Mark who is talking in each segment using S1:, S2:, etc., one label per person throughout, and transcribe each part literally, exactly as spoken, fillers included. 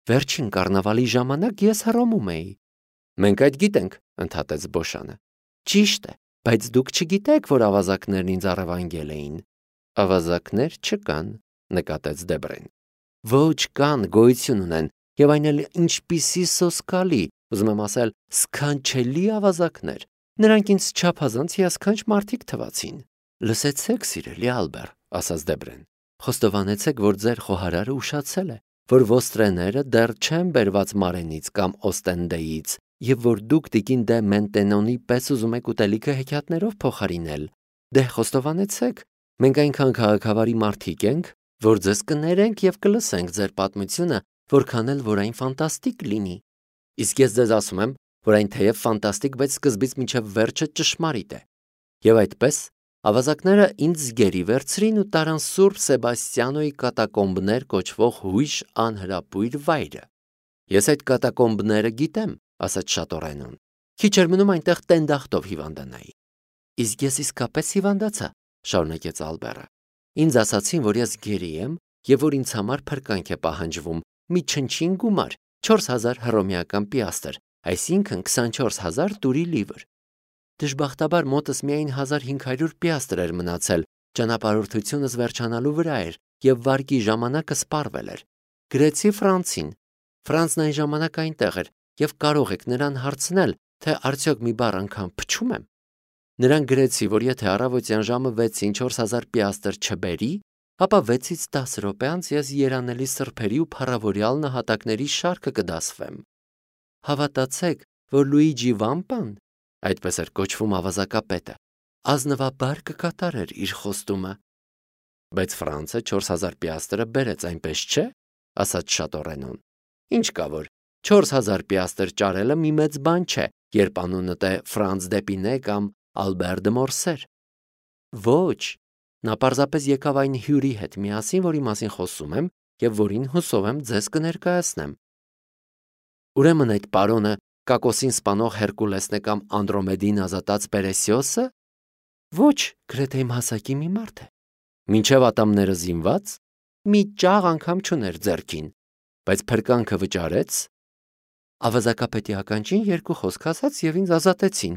S1: Վերջին կառնավալի ժամանակ ես Հռոմում էի։ Մենք այդ գիտենք, ընդհատեց Բոշանը։ Ճիշտ է, բայց դուք չգիտեք, որ ավազակներն ինձ առևանգել էին։ Ավազակներ չկան, նկատեց Դեբրեն։ Ոչ կան, գոյություն ունեն, եւ այն էլ ինչպիսի սոսկալի, ուզում եմ ասել, սքանչելի ավազակներ։ Նրանք ինձ չափազանց հիասքանչ մարդիկ թվացին։ Լսեցեք, սիրելի Ալբեր, ասաց Դեբրեն։ Խոստովանեցեք, որ ձեր խոհարարը ուշացել է, որ ոստրեները դեռ չեն բերված Մարենից կամ Օստենդեից, եւ որ դուք տիկին դե Մենտենոնի պես ուզում եք ուտելիքը հեքիաթներով փոխարինել։ Դե խոստովանեցեք, մենք այնքան քաղաքավարի մարդիկ ենք, որ ձեզ կներենք եւ կլսենք ձեր պատմությունը, որքան էլ որ այն ֆանտաստիկ լինի։ Իսկ ես ձեզ ասում եմ, որ այն թեև ֆանտաստիկ, բայց սկզբից մինչև վերջը ճշմարիտ է։ Եվ այդպես ավազակները ինձ գերի վերցրին ու տարան Սուրբ Սեբաստիանոյի կատակոմբներ կոչվող հույժ անհրապույր վայրը։ Ես այդ կատակոմբները գիտեմ, ասաց Շատորենոն։ Քիչ էր մնում այնտեղ տենդախտով հիվանդանայի։ Իսկ ես իսկապես հիվանդացա, շարունակեց Ալբերը։ Ինձ ասացին, որ ես գերի եմ եւ որ ինձ համար փրկանք է պահանջվում, մի չնչին գումար, չորս հազար հռոմեական պիաստր, այսինքն քսանչորս հազար տուրի լիվր։ Դժբախտաբար մոտս միայն հազար հինգ հարյուր պիաստր էր մնացել, ճանապարհորդությունս վերջանալու վրա էր եւ վարկի ժամանակը սպառվել էր։ Գրեցի Ֆրանցին։ Ֆրանցն այն ժամանակ այնտեղ էր եւ կարող եք նրան հարցնել, թե արդյոք մի բառ անգամ փչում եմ։ Նրան գրեցի, որ եթե առավոտյան ժամը վեցին չորս հազար պիաստր չբերի, ապա վեցից դաս րոպե անց ես երանելի սրբերի ու փառավորյալ նահատակների շարքը կդասվեմ։ Հավատացեք, որ Լուիջի Վամպան, այդպես էր կոչվում ավազակապետը, ազնվաբար կկատարեր իր խոստումը։ Բայց Ֆրանցը չորս հազար պիաստրը բերեց, այնպես չէ, ասաց Շատորենոն։ Ինչ կա որ, չորս հազար պիաստր ճարելը մի մեծ բան չէ, երբ անունդ է Ֆրանց Դեպինե կամ Ալբեր դե Մորսեր։ Ոչ, նա պարզապես եկավ այն հյուրի հետ միասին, որի մասին խոսում եմ եւ որին հուսով եմ ձեզ կներկայացնեմ։ Ուրեմն այդ պարոնը Կակոսին սպանող Հերկուլեսն է կամ Անդրոմեդին ազատած Պերեսիոսը։ Ոչ, գրեթե իմ հասակի մի մարդ է։ Մինչև ատամները զինված, մի ճաղ անգամ չուներ ձեռքին, բայց փրկանքը վճարեց։ Ավազակապետի ականջին երկու խոսք ասաց եւ ինձ ազատեցին։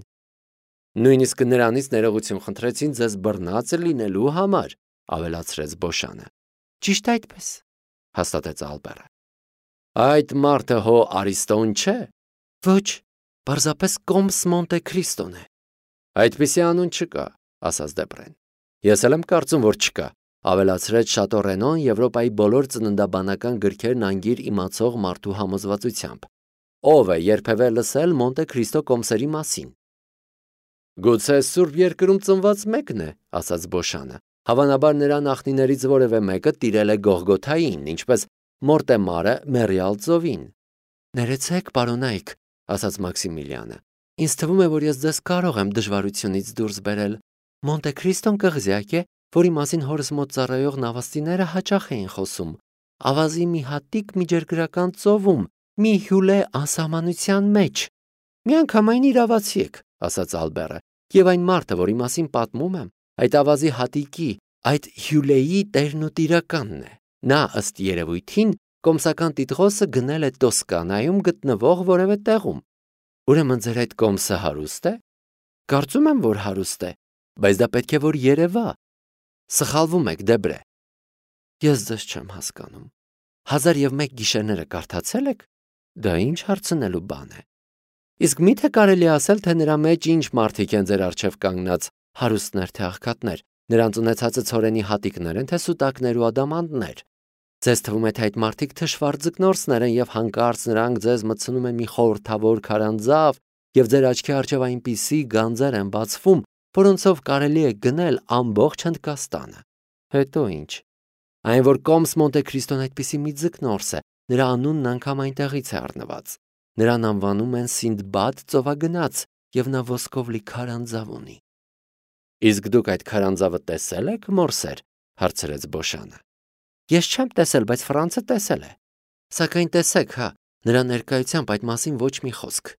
S1: Նույնիսկ նրանից ներողություն խնդրեցին ձեզ բռնած լինելու համար, ավելացրեց Բոշանը։ Ճիշտ այդպես, հաստատեց Ալբերը։ Այդ մարդը հո Արիստոն չէ։ Ոչ, պարզապես Կոմս Մոնտե Քրիստոն է։ Այդպիսի անուն չկա, ասաց Դեբրեն։ Ես էլ եմ կարծում, որ չկա, ավելացրեց Շատորենոն Եվրոպայի բոլոր ծննդաբանական գրքերն անգիր իմացող մարդու համոզվածությամբ։ Ով է երբևէ լսել Մոնտե Քրիստո կոմսերի մասին։ Գուցե Սուրբ Երկրում ծնված մեկն է, ասաց Բոշանը։ Հավանաբար նրա նախնիներից որևէ մեկը տիրել է Գողգոթային, ինչպես Մորտեմարը Մերիալ ծովին։ Ներեցեք, պարոնայք, ասաց Մաքսիմիլիանը։ Ինձ թվում է, որ ես ձեզ կարող եմ դժվարությունից դուրս բերել։ Մոնտե Քրիստոն կղզյակ է, որի մասին հորս մոտ ծառայող նավաստիները հաճախ էին խոսում։ Ավազի մի հատիկ միջերգրական ծովում, մի հյուլե անսահմանության մեջ։ Միանգամայն իրավացի եք, ասաց Ալբերը, եւ այն մարդը, որի մասին պատմում եմ, այդ ավազի հատիկի, այդ հյուլեի տերն ու տիրականն է։ Նա ըստ երևույթին կոմսական տիտղոսը գնել է Տոսկանայում գտնվող որևէ տեղում։ Ուրեմն ձեր այդ կոմսը հարուստ է։ Կարծում եմ, որ հարուստ է, բայց դա պետք է որ երևա։ Սխալվում եք, Դեբրե։ Ես ձեզ չեմ հասկանում։ Հազար եւ մեկ գիշերները կարդացել եք։ Դա ինչ հարցնելու բան է։ Իսկ միթե կարելի ասել, թե նրա մեջ ինչ մարդիկ են ձեր առջև կանգնած, հարուստներ թե աղքատներ, նրանց ունեցածը ցորենի հատիկներ են, թե սուտակներ ու ադամանդներ։ Ձեզ թվում է, թե այդ մարդիկ թշվառ ձկնորսներ են եւ հանկարծ նրանք ձեզ մտցնում են մի խորհրդավոր քարանձավ եւ ձեր աչքի առջև այնպիսի գանձեր են բացվում, որոնցով կարելի է գնել ամբողջ Հնդկաստանը։ Հետո ինչ։ Այն որ Կոմս Մոնտե Քրիստոն այդպիսի մի ձկնորս է, նրա անունն անգամ այնտեղից է առնված։ Նրան անվանում են Սինդբադ ծովագնաց եւ նա ոսկով լի քարանձավ ունի։ Իսկ դուք այդ քարանձավը տեսել եք, Մորսեր, հարցրեց Բոշանը։ Ես չեմ տեսել, բայց Ֆրանցը տեսել է։ Սակայն տեսեք, հա, նրա ներկայությամբ այդ մասին ոչ մի խոսք։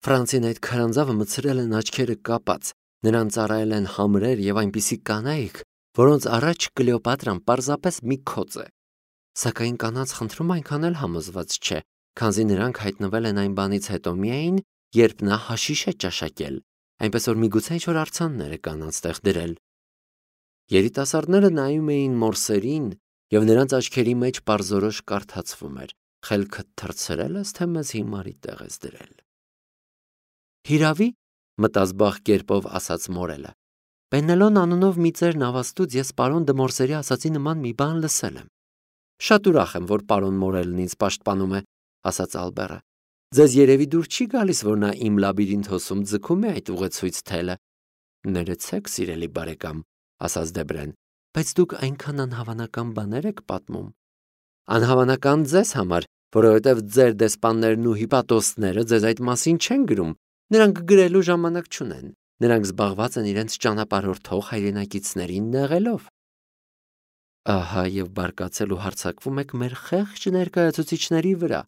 S1: Ֆրանցին այդ քարանձավը մցրել են աչքերը կապած, նրան ծառայել են համրեր եւ այնպիսի կանայք, որոնց առաջ Կլեոպատրան պարզապես մի քոծ է։ Սակայն կանանց խնդրում այնքան էլ համոզված չէ, քանզի նրանք հայտնվել են այն բանից հետո միայն, երբ նա հաշիշ է ճաշակել, այնպես որ միգուցե ինչ-որ արձաններ է կանանց տեղ դրել։ Երիտասարդները նայում էին մորսերին, և նրանց աչքերի մեջ պարզորոշ կարդացվում էր. «Խելքդ թռցրել ես, թե մեզ հիմարի տեղ ես դրել»։ «Հիրավի», մտած բախ կերպով ասաց մորելը, «Պենելոն անունով մի ծեր նավաստուց ես պարոն Դմորսերի ասացի նման մի բան լսել եմ»։ «Շատ ուրախ եմ, որ պարոն մորելն ինձ պաշտպանում է», ասաց Ալբերը։ «Ձեզ երևի դուր չի գալիս, որ նա իմ լաբիրինթոսում ձգում է այդ ուղեցույց թելը»։ «Ներեցեք, սիրելի բարեկամ», ասաց Դեբրեն, «բայց դուք այնքան անհավանական բաներ եք պատմում»։ «Անհավանական ձեզ համար, որովհետև ձեր դեսպաններն ու հիպատոսները ձեզ այդ մասին չեն գրում, նրանք գրելու ժամանակ չունեն, նրանք զբաղված են իրենց ճանապարհորդող հայրենակիցներին նեղելով»։ «Ահա և բարկացել ու հարձակվում եք մեր խեղճ ներկայացուցիչների վրա,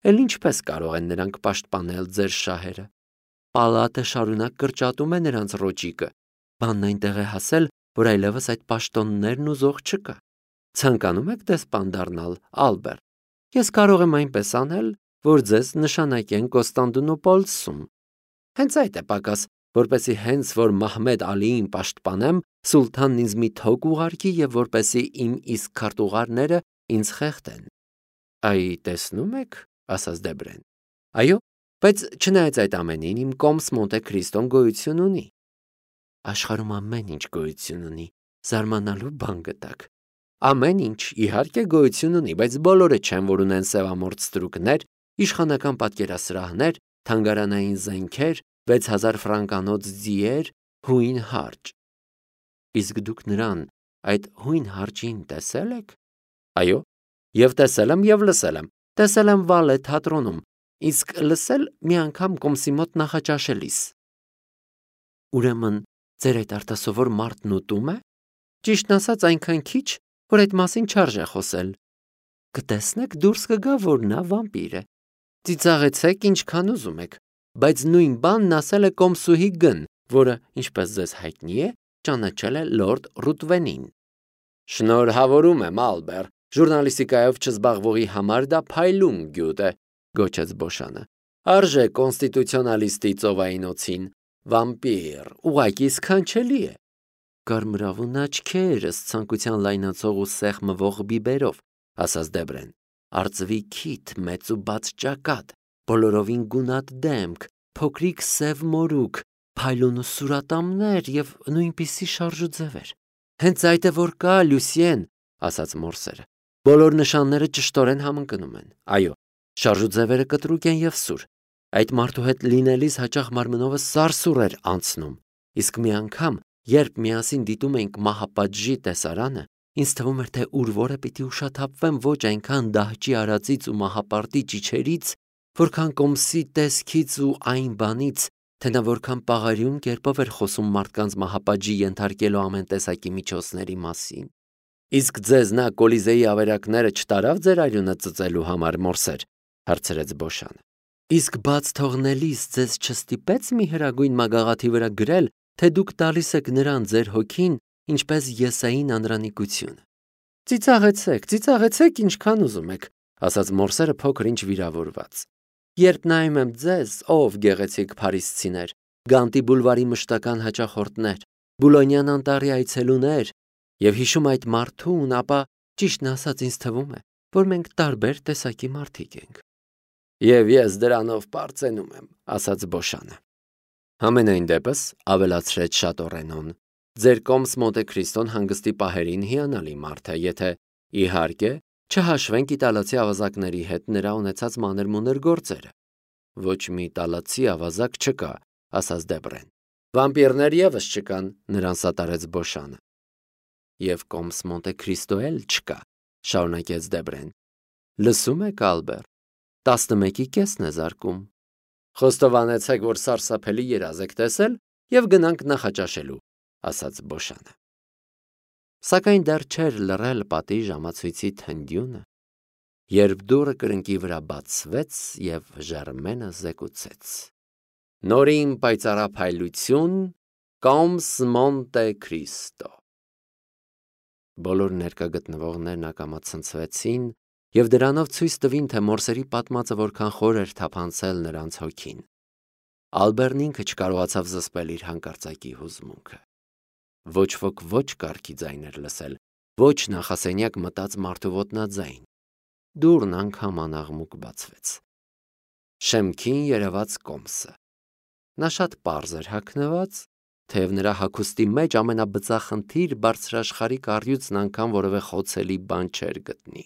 S1: էլ ինչպես կարող են նրանք պաշտպանել ձեր շահերը։ Պալատը շարունակ կրճատում է նրանց ռոճիկը, բանն այնտեղ է հասել, որ այլևս այդ պաշտոններն ուզող չկա։ Ցանկանում եք դեսպան դառնալ, Ալբեր։ Ես կարող եմ այնպես անել, որ ձեզ նշանակեն Կոստանդնուպոլսում։ Հենց այդ է պակաս, որպեսզի հենց որ Մահմեդ Ալիին պաշտպանեմ, սուլթանն ինձ մի թոկ ուղարկի և որպեսզի իմ իսկ քարտուղարները ինձ խեղդեն»։ «Այ, տեսնում եք», ասաց Դեբրեն։ «Այո, բայց չնայած այդ ամենին, իմ կոմս Մոնտե Քրիստոն գոյություն ունի»։ «Աշխարհում ամեն ինչ գոյություն ունի, զարմանալու բան գտաք»։ «Ամեն ինչ, իհարկե, գոյություն ունի, բայց բոլորը չեն, որ ունեն սևամորթ ստրուկներ, իշխանական պատկերասրահներ, թանգարանային զենքեր, վեց հազար ֆրանկանոց ձիեր, հույն հարճ»։ «Իսկ դուք նրան, այդ հույն հարճին տեսել եք»։ «Այո, և տեսել եմ, և լսել եմ, տեսել եմ Վալե թատրոնում, իսկ լսել մի անգամ կոմսի մոտ նախաճաշելիս»։ «Ուրեմն ձեր այդ արտասովոր մարդն ուտում է»։ «Ճիշտն ասած, այնքան քիչ, որ այդ մասին չարժե խոսել»։ «Կտեսնեք, դուրս կգա, որ նա վամպիր է»։ «Ծիծաղեցեք ինչքան ուզում եք, բայց նույն բանն ասել է կոմսուհի Գ-ն, որը, ինչպես ձեզ հայտնի է, ճանաչել է լորդ Ռուտվենին»։ «Շնորհավորում եմ, Ալբեր, ժուրնալիստիկայով չզբաղվողի համար դա փայլուն գյուտ է», գոչեց Բոշանը։ «Արժե կոնստիտուցիոնալիստի ծովայինոցին, վամպիր, ուղղակի սքանչելի է»։ «Կարմրավուն աչքեր, ըստ ցանկության լայնացող ու սեղմվող բիբերով», ասաց Դեբրեն։ «Արծվի քիթ, մեծ ու բաց ճակատ, բոլորովին գունատ դեմք, փոքրիկ սև մորուք, փայլուն ու սուրատամներ և նույնպիսի շարժուձևեր»։ «Հենց այդ է, որ կա, Լյուսիեն», ասաց մորսերը։ «Բոլոր նշանները ճշտորեն համընկնում են։ Այո, շարժուձևերը կտրուկ են և սուր։ Այդ մարդու հետ լինելիս հաճախ մարմնովս սարսուռ էր անցնում, իսկ մի անգամ, երբ միասին դիտում էինք մահապատժի տեսարանը, ինձ թվում էր, թե ուր որը պիտի ուշաթափվեմ ոչ այնքան դահճի արածից ու մահապարտի ճիչերից, որքան կոմսի տեսքից ու այն բանից, թե նա որքան պաղարիուն կերպով էր խոսում մարդկանց մահապատժի ենթարկելու ամեն տեսակի միջոցների մասին»։ «Իսկ ձեզ նա Կոլիզեի ավերակները չտարավ ձեր արյունը ծծելու համար, մորսեր», հարցրեց Բոշանը։ «Իսկ բաց թողնելիս ձեզ չստիպեց մի հրագույն մագաղաթի վրա գրել, թե դուք տալիս եք նրան ձեր հոգին, ինչպես Եսային անրանիկությունը»։ «Ծիծաղեցեք, ծիծաղեցեք ինչքան ուզում եք», ասաց մորսերը փոքր ինչ վիրավորված։ «Երբ նայում եմ ձեզ, ով գեղեցիկ փարիսցիներ, Գանտի բուլվարի մշտական հաճախորդներ, Բուլոնյան անտառի այցելուներ, և հիշում այդ մարդուն, ապա, ճիշտն ասած, ինձ թվում է, որ մենք տարբեր տեսակի մարդիկ ենք»։ «Եվ ես դրանով պարծենում եմ», ասաց Բոշանը։ «Համենայն դեպս», ավելացրեց Շատորենոն, «ձեր կոմս Մոնտե Քրիստոն հանգստի պահերին հիանալի մարդ է, եթե, իհարկե, չհաշվենք իտալացի ավազակների հետ նրա ունեցած մանր-մունր գործերը»։ «Ոչ մի իտալացի ավազակ չկա», ասաց Դեբրեն։ «Վամպիրներ ևս չկան», նրան սատարեց Բոշանը։ «Եվ կոմս Մոնտե Քրիստո էլ չկա», շարունակեց Դեբրեն։ «Լսում եք, Ալբեր, տասնմեկի կեսն է զարկում։ Խոստովանեցեք, որ սարսափելի երազ եք տեսել, և գնանք նախաճաշելու», ասաց Բոշանը։ Սակայն դեռ չէր լռել պատի ժամացույցի թնդյունը, երբ դուռը կրկնակի վրա բացվեց և Ժերմենը զեկուցեց. «Նորին պայծառափայլություն, կոմս Մոնտե Քրիստո»։ Բոլոր ներկա գտնվողներն ակամա ցնցվեցին եւ դրանով ցույց տվին, թե մորսերի պատմածը որքան խոր էր թափանցել նրանց հոգին։ Ալբերն ինքը չկարողացավ զսպել իր հանկարծակի հուզմունքը։ Ոչ ոք ոչ կարգի ձայն էր լսել, ոչ նախասենյակ մտած մարդու ոտնաձայն։ Դուռն անգամ անաղմուկ բացվեց։ Շեմքին երևաց Կոմսը։ Նա շատ պարզ էր հագնված, թեև նրա հագուստի մեջ ամենաբծախնդիր բարձրաշխարհիկ առյուծն անգամ որևէ խոցելի բան չէր գտնի։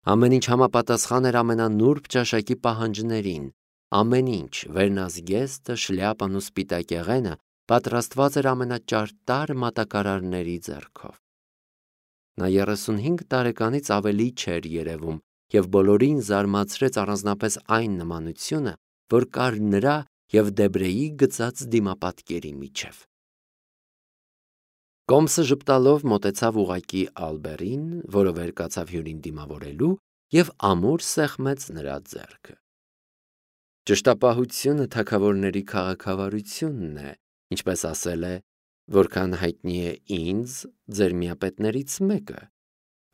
S1: Ամեն ինչ համապատասխան էր ամենանուրբ ճաշակի պահանջներին, ամեն ինչ, վերնազգեստը, շլյապան ու սպիտակեղենը պատրաստված էր ամենաճարտար մատակարարների ձեռքով։ Նա երեսունհինգ տարեկանից ավելի չէր երևում եւ բոլորին զարմացրեց առանձնապես այն նմանությունը, որ կար նրա եւ Դեբրեի գծած դիմապատկերի միջև։ Կոմսը ժպտալով մոտեցավ ուղակի Ալբերին, որը վեր կացավ հյուրին դիմավորելու եւ ամուր սեղմեց նրա ձեռքը։ Ճշտապահությունը թագավորների քաղաքավարությունն է, ինչպես ասել է, որքան հայտնի է ինձ, ձեր միապետներից մեկը,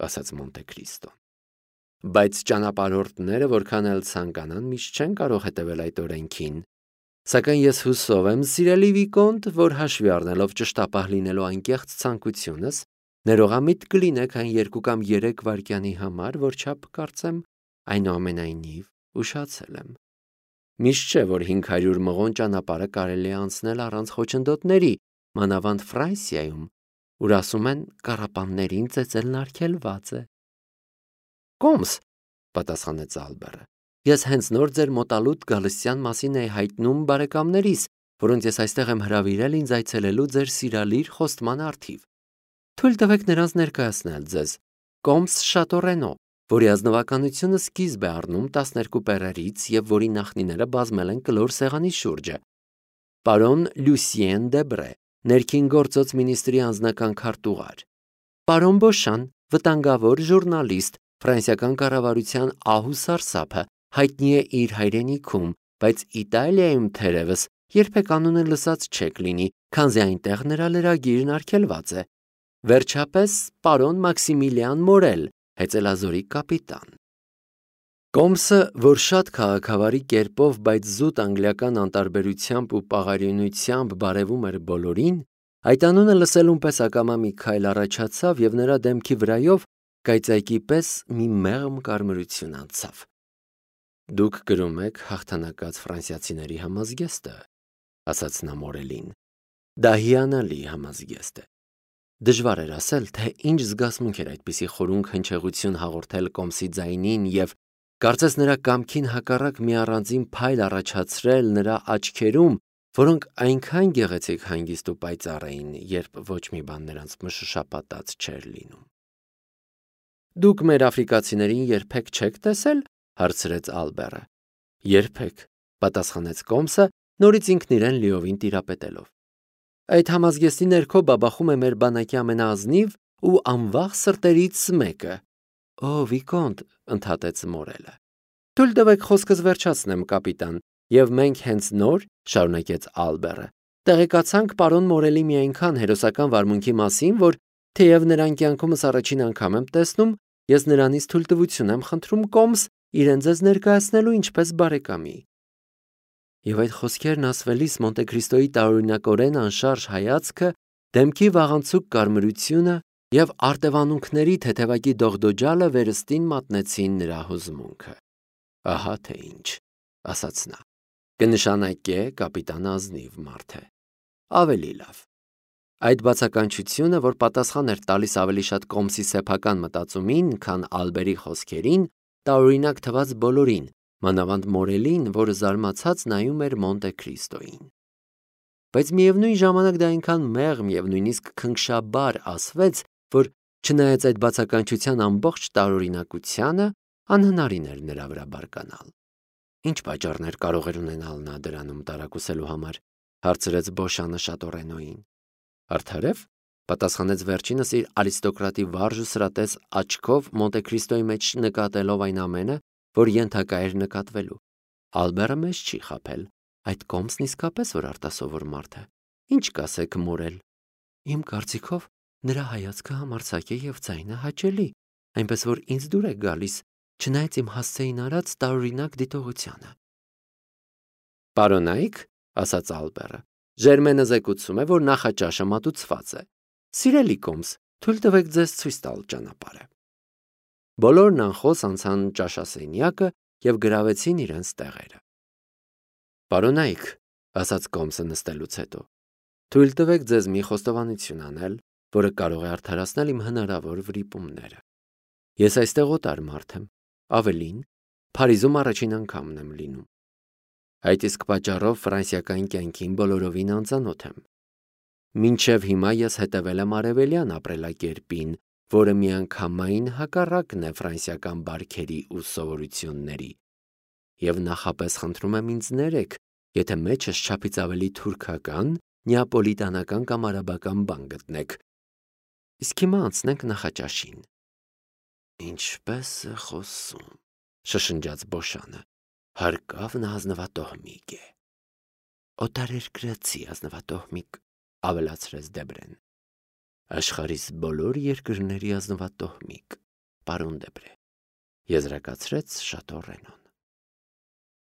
S1: ասաց Մոնտե Քրիստոն։ Բայց ճանապարհորդները, որքան էլ ցանկանան, միշտ չեն կարող հետևել այդ օրենքին։ Սակայն ես հուսով եմ, սիրելի Վիկոնտ, որ հաշվի առնելով ճշտապահ լինելու անկեղծ ցանկությունս, ներողամիտ կլինեք այն երկու կամ երեք վայրկյանի համար, որչափ կարծեմ այնուամենայնիվ ուշացել եմ։ Միշտ չէ, որ հինգ հարյուր մղոն ճանապարհը կարելի է անցնել առանց խոչընդոտների, մանավանդ Ֆրանսիայում, ուր ասում են կառապաններին ծեծելն արգելված է։ Կոմս, պատասխանեց Ալբերը, ես հենց նոր ձեր մոտալուտ գալստյան մասին էի հայտնում բարեկամներիս, որոնց ես այստեղ եմ հրավիրել ինձ այցելելու ձեր սիրալիր խոստման առթիվ։ Թույլ տվեք նրանց ներկայացնել ձեզ Կոմս Շատորենո, որի ազնվականությունը սկիզբ է առնում տասներկու պերերից եւ որի նախնիները բազմել են կլոր սեղանի շուրջը։ Պարոն Լյուսիեն Դեբրե, ներքին գործոց մինիստրի անձնական քարտուղար։ Պարոն Բոշան, վտանգավոր ժուրնալիստ, ֆրանսիական կառավարության ահ ու սարսափը, հայտնի է իր հայրենիքում, բայց Իտալիայում թերևս երբեք անունը լսած չեք լինի, քանզի այնտեղ նրա լրագիրն արգելված է։ Վերջապես, պարոն Մաքսիմիլիան Մորել, հեծելազորի կապիտան։ Կոմսը, որ շատ քաղաքավարի կերպով, բայց զուտ անգլիական անտարբերությամբ ու պաղարյունությամբ բարևում էր բոլորին, այդ անունը լսելուն պես ակամա մի քայլ առաջացավ եւ նրա դեմքի վրայով կայծակի պես մի մեղմ կարմրություն անցավ։ Դուք գրում եք հաղթանակած ֆրանսիացիների համազգեստը, ասաց նա Մորելին։ Դա հիանալի համազգեստ է։ Դժվար էր ասել, թե ինչ զգացմունք էր այդպիսի խորունկ հնչեղություն հաղորդել Կոմսի ձայնին եւ կարծես նրա կամքին հակառակ մի առանձին փայլ առաջացրել նրա աչքերում, որոնք այնքան գեղեցիկ հանգիստ ու պայծառ էին, երբ ոչ մի բան նրանց մշշապատած չէր լինում։ Դուք մեր աֆրիկացիներին երբեք չեք տեսել, հարցրեց Ալբերը։ Երբեք, պատասխանեց Կոմսը, նորից ինքն իրեն լիովին տիրապետելով։ Այդ համազգեստի ներքո բաբախում է մեր բանակի ամենաազնիվ ու անվախ սրտերից մեկը։ Օ, Վիկոնտ, ընդհատեց Մորելը։ Թույլ տվեք խոսքս վերջացնեմ, կապիտան, եւ մենք հենց նոր, շարունակեց Ալբերը, տեղեկացանք պարոն Մորելի մի այնքան հերոսական վարմունքի մասին, որ թեև նրան կյանքումս առաջին անգամ եմ տեսնում, ես նրանից թույլտվություն եմ խնդրում Կոմս իրեն ձեզ ներկայացնելու ինչպես բարեկամի։ Եվ այդ խոսքերն ասվելիս Մոնտե Քրիստոյի տարօրինակորեն անշարժ հայացքը, դեմքի վաղանցուկ կարմրությունը եւ արտևանունքների թեթևակի դողդոջալը վերստին մատնեցին նրա հուզմունքը։ Ահա թե ինչ, ասաց նա։ Կնշանակե կապիտան ազնիվ մարդ է։ Ավելի լավ։ Այդ բացականչությունը, որ պատասխան էր տալիս ավելի շատ Կոմսի սեփական մտածումին, քան Ալբերի խոսքերին, տարօրինակ թվաց բոլորին, մանավանդ Մորելին, որը զարմացած նայում էր Մոնտե Քրիստոյին։ Բայց միևնույն ժամանակ դա այնքան մեղմ եւ նույնիսկ քնքշաբար ասվեց, որ չնայած այդ բացականչության ամբողջ տարօրինակությանը, անհնարին էր նրա վրա բարկանալ։ Ինչ պատճառներ կարող էր ունենալ նա դրանում տարակուսելու համար, հարցրեց Բոշանը Շատորենոին։ Արդարև, պատասխանեց վերջինս իր արիստոկրատի վարժ ու սրատես աչքով Մոնտե Քրիստոյի մեջ նկատելով այն ամենը, որ ենթակա էր նկատվելու։ Ալբերը մեզ չի խաբել, այդ Կոմսն իսկապես որ արտասովոր մարդ է։ Ինչ կասեք, Մորել։ Իմ կարծիքով նրա հայացքը համարձակ է եւ ձայնը հաճելի, այնպես որ ինձ դուր է գալիս, չնայած իմ հասցեին արած տարօրինակ դիտողությանը։ Պարոնայք, ասաց Ալբերը, Ժերմենը զեկուցում է, որ նախաճաշը մատուցված է։ Սիրելի Կոմս, թույլ տվեք ձեզ ցույց տալ ճանապարհը։ Բոլորն անխոս անցան ճաշասենյակը և գրավեցին իրենց տեղերը։ Պարոնայք, ասաց Կոմսը նստելուց հետո, թույլ տվեք ձեզ մի խոստովանություն անել, որը կարող է արդարացնել իմ հնարավոր վրիպումները։ Ես այստեղ օտար մարդ եմ, ավելին, Փարիզում առաջին անգամն եմ լինում։ Այդ իսկ պատճառով ֆրանսիական կյանքին բոլորովին անծանոթ եմ։ Մինչև հիմա ես հետևել եմ արևելյան ապրելակերպին, որը միանգամայն հակառակն է ֆրանսիական բարքերի ու սովորությունների։ Եվ նախապես խնդրում եմ ինձ ներեք, եթե մեջս չափից ավելի թուրքական, նեապոլիտանական կամ արաբական բան գտնեք։ Իսկ հիմա անցնենք նախաճաշին։ Ինչպես է խոսում, շշնջաց Բոշանը, հարկավ նա ազնվատոհմիկ է։ Օտարերկրացի ազնվատոհմիկ, ավելացրեց Դեբրեն։ Աշխարհիս բոլոր երկրների ազնվատոհմիկ, պարոն Դեբրե, եզրակացրեց Շատո Ռենոն։